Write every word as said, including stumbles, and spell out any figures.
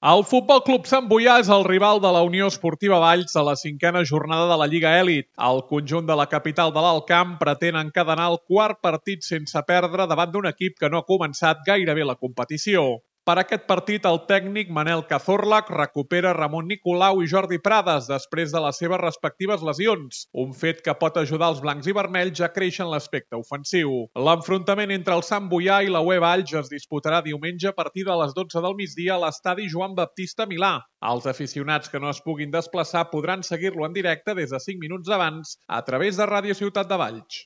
El Futbol Club Sant Boià és el rival de la Unió Esportiva Valls a la cinquena jornada de la Lliga Elit. El conjunt de la capital de l'Alt Camp pretén encadenar el quart partit sense perdre davant d'un equip que no ha començat gaire bé la competició. Per aquest partit, el tècnic Manel Cazorla recupera Ramon Nicolau i Jordi Prades després de les seves respectives lesions, un fet que pot ajudar els blancs i vermells a créixer en l'aspecte ofensiu. L'enfrontament entre el Sant Boià i la U E Valls es disputarà diumenge a partir de les dotze del migdia a l'estadi Joan Baptista Milà. Els aficionats que no es puguin desplaçar podran seguir-lo en directe des de cinc minuts abans a través de Ràdio Ciutat de Valls.